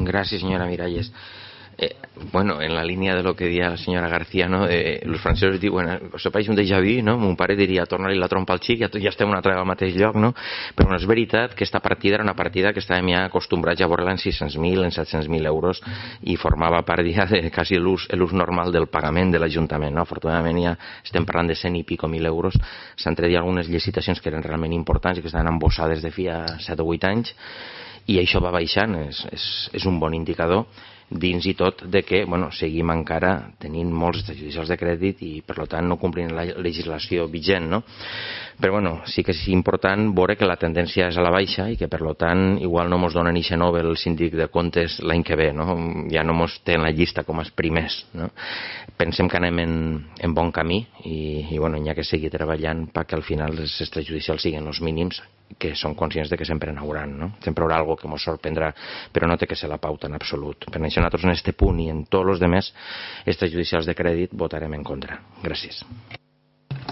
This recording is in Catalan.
Gracias, señora Miralles. Bueno, en la línia de lo que deia la senyora García, no? Els francesos diuen, us apareix un déjà vu, no? Mon pare diria, torna-li la trompa al xic, ja estem una altra al mateix lloc, no? Però no és veritat que aquesta partida era una partida que estàvem ja acostumbrats a veure-la en 600.000, en 700.000 euros, i formava part ja de quasi l'ús normal del pagament de l'Ajuntament, no? Afortunadament ja estem parlant de 100 i pico mil euros. S'han tret algunes licitacions que eren realment importants i que estaven embossades de fi a 7 o 8 anys, i això va baixant, és un bon indicador, dins i tot de que seguim encara tenint molts extrajudicials de crèdit i per tant no complint la legislació vigent, no? Però sí que és important veure que la tendència és a la baixa i que per tant igual no ens donen ixe Nobel el síndic de comptes l'any que ve, no? Ja no ens té en la llista com els primers, no? Pensem que anem en bon camí i hi ha que seguir treballant perquè al final els extrajudicials siguin els mínims, que som conscients de que sempre n'hauran, no? Sempre hi haurà alguna que ens sorprendrà, però no té que ser la pauta en absolut. Per això nosaltres en aquest punt i en tots els demés extrajudicials de crèdit votarem en contra. Gràcies.